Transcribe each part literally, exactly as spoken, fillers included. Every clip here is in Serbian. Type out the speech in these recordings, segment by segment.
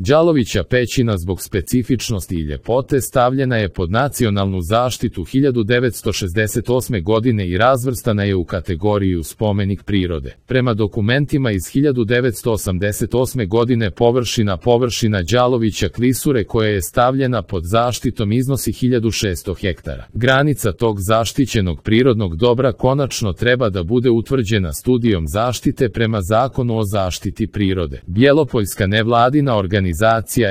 Đalovića pećina zbog specifičnosti i ljepote stavljena je pod nacionalnu zaštitu hiljadu devetsto šezdeset osme godine i razvrstana je u kategoriju spomenik prirode. Prema dokumentima iz hiljadu devetsto osamdeset osme godine površina površina Đalovića klisure koja je stavljena pod zaštitom iznosi hiljadu šesto hektara. Granica tog zaštićenog prirodnog dobra konačno treba da bude utvrđena studijom zaštite prema Zakonu o zaštiti prirode. Bjelopoljska nevladina organizacija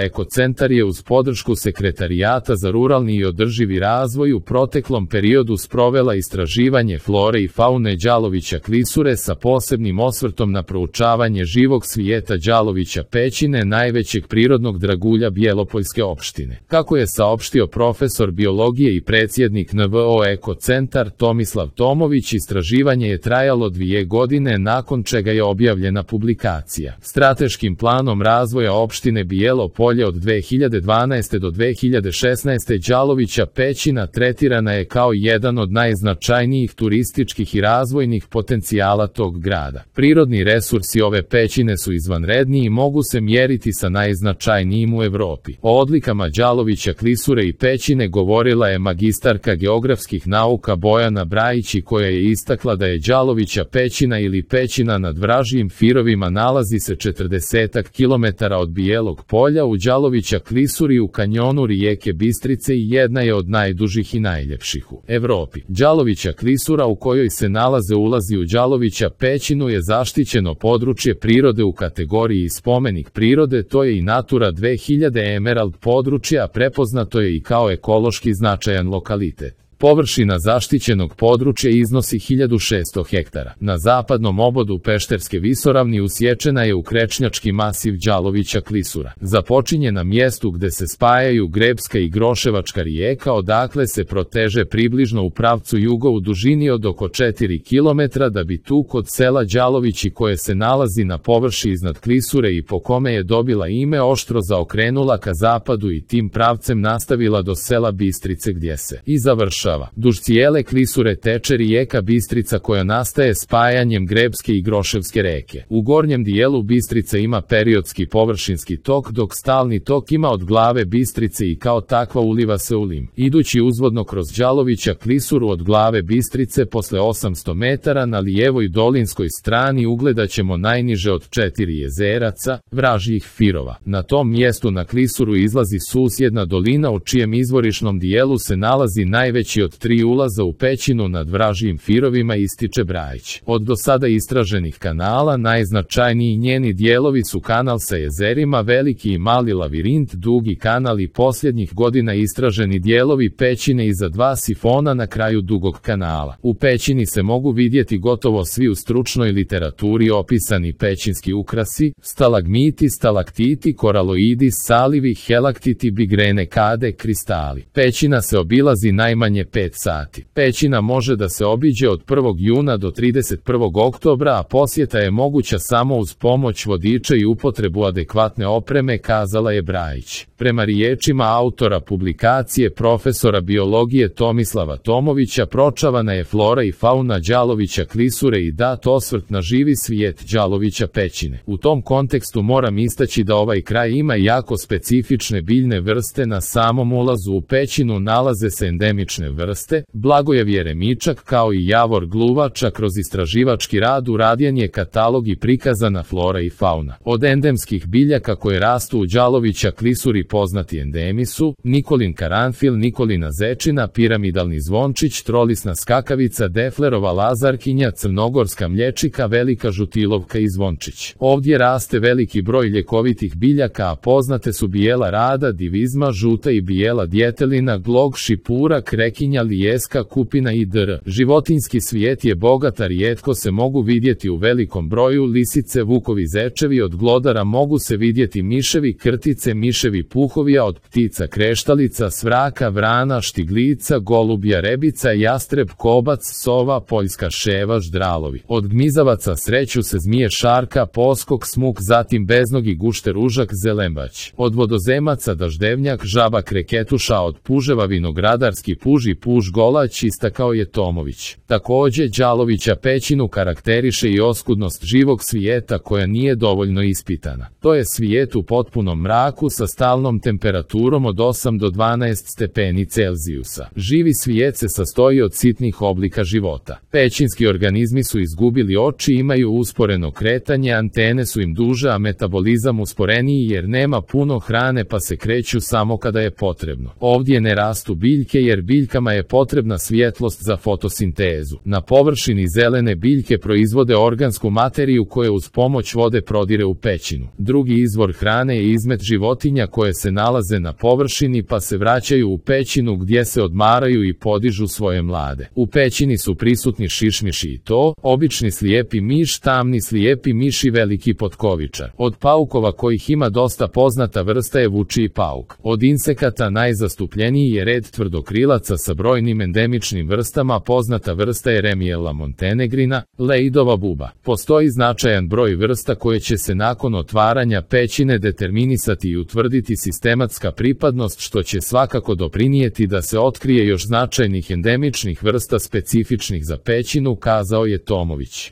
Ekocentar je uz podršku Sekretarijata za ruralni i održivi razvoj u proteklom periodu sprovela istraživanje flore i faune Đalovića klisure sa posebnim osvrtom na proučavanje živog svijeta Đalovića pećine, najvećeg prirodnog dragulja Bjelopoljske opštine. Kako je saopštio profesor biologije i predsjednik N V O Ekocentar Tomislav Tomović, istraživanje je trajalo dvije godine, nakon čega je objavljena publikacija. Strateškim planom razvoja opštine Bijelo Polje od dve hiljade dvanaeste do dve hiljade šesnaeste Đalovića pećina tretirana je kao jedan od najznačajnijih turističkih i razvojnih potencijala tog grada. Prirodni resursi ove pećine su izvanredni i mogu se mjeriti sa najznačajnijim u Evropi. O odlikama Đalovića klisure i pećine govorila je magistarka geografskih nauka Bojana Brajić, koja je istakla da je Đalovića pećina ili pećina nad Vražijim Firovima nalazi se četrdesetak kilometara od Bijelog Polja u Đalovića klisuri u kanjonu rijeke Bistrice i jedna je od najdužih i najljepših u Evropi. Đalovića klisura u kojoj se nalaze ulazi u Đalovića pećinu je zaštićeno područje prirode u kategoriji spomenik prirode, to je i Natura dve hiljade Emerald područje, a prepoznato je i kao ekološki značajan lokalitet. Površina zaštićenog područja iznosi hiljadu šesto hektara. Na zapadnom obodu Pešterske visoravni usječena je u krečnjački masiv Đalovića klisura. Započinje na mjestu gde se spajaju Grebska i Groševačka rijeka, odakle se proteže približno u pravcu juga u dužini od oko četiri kilometra, da bi tu kod sela Đalovići, koje se nalazi na površi iznad klisure i po kome je dobila ime, oštro zaokrenula ka zapadu i tim pravcem nastavila do sela Bistrice, gdje se i završava. Duž cijele klisure teče rijeka Bistrica, koja nastaje spajanjem Grebske i Groševske reke. U gornjem dijelu Bistrice ima periodski površinski tok, dok stalni tok ima od glave Bistrice i kao takva uliva se u Lim. Idući uzvodno kroz Đalovića klisuru od glave Bistrice posle osamsto metara na lijevoj dolinskoj strani ugledaćemo najniže od četiri jezeraca, Vražijih Firova. Na tom mjestu na klisuru izlazi susjedna dolina, u čijem izvorišnom dijelu se nalazi najveći od tri ulaza u pećinu nad Vražijim Firovima, ističe Brajić. Od do sada istraženih kanala najznačajniji njeni dijelovi su kanal sa jezerima Veliki i Mali Lavirint, Dugi kanal i posljednjih godina istraženi dijelovi pećine iza dva sifona na kraju Dugog kanala. U pećini se mogu vidjeti gotovo svi u stručnoj literaturi opisani pećinski ukrasi: stalagmiti, stalaktiti, koraloidi, salivi, helaktiti, bigrene, kade, kristali. Pećina se obilazi najmanje pet sati. Pećina može da se obiđe od prvog juna do trideset prvog oktobra, a posjeta je moguća samo uz pomoć vodiča i upotrebu adekvatne opreme, kazala je Brajić. Prema riječima autora publikacije profesora biologije Tomislava Tomovića, pročavana je flora i fauna Đalovića klisure i dat osvrt na živi svijet Đalovića pećine. U tom kontekstu moram istaći da ovaj kraj ima jako specifične biljne vrste. Na samom ulazu u pećinu nalaze se endemične vrste, Blagojev jeremičak kao i javor gluvača. Kroz istraživački rad urađen je katalog i prikazana flora i fauna. Od endemskih biljaka koje rastu u Đalovića klisuri poznati endemi su Nikolin karanfil, Nikolina zečina, piramidalni zvončić, trolisna skakavica, deflerova lazarkinja, crnogorska mlječika, velika žutilovka i zvončić. Ovdje raste veliki broj ljekovitih biljaka, a poznate su bijela rada, divizma, žuta i bijela djetelina, glog, šipura, krekinja, lijeska, kupina i dr. Životinjski svijet je bogat, a rijetko se mogu vidjeti u velikom broju lisice, vukovi, zečevi. Od glodara mogu se vidjeti miševi, krtice, miševi puhovi, a od ptica kreštalica, svraka, vrana, štiglica, golubja, rebica, jastreb, kobac, sova, poljska ševa, ždralovi. Od gmizavaca sreću se zmije šarka, poskok, smuk, zatim beznogi gušter, užak, zelenbać. Od vodozemaca daždevnjak, žaba, kreketuša, od puževa vinogradarski puž i najduži puž golać, istakao je Tomović. Takođe, Đalovića pećinu karakteriše i oskudnost živog svijeta koja nije dovoljno ispitana. To je svijet u potpunom mraku sa stalnom temperaturom od osam do dvanaest stepeni Celzijusa. Živi svijet se sastoji od sitnih oblika života. Pećinski organizmi su izgubili oči, imaju usporeno kretanje, antene su im duže, a metabolizam usporeniji jer nema puno hrane pa se kreću samo kada je potrebno. Ovdje ne rastu biljke jer biljkama je potrebna svjetlost za fotosintezu. Na površini zelene biljke proizvode organsku materiju koja uz pomoć vode prodire u pećinu. Drugi izvor hrane je izmet životinja koje se nalaze na površini pa se vraćaju u pećinu gdje se odmaraju i podižu svoje mlade. U pećini su prisutni šišmiši i to, obični slijepi miš, tamni slijepi miš i veliki potkovičar. Od paukova kojih ima dosta poznata vrsta je vučiji pauk. Od insekata najzastupljeniji je red tvrdokrilaca sa brojnim endemičnim vrstama, poznata vrsta je Remiella montenegrina, lejdova buba. Postoji značajan broj vrsta koje će se nakon otvaranja pećine determinisati i utvrditi sistematska pripadnost, što će svakako doprinijeti da se otkrije još značajnih endemičnih vrsta specifičnih za pećinu, kazao je Tomović.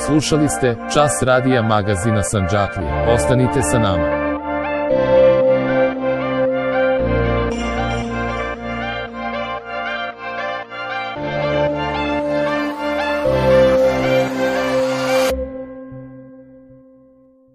Slušali ste Čas radija magazina Sandžaklije. Ostanite sa nama.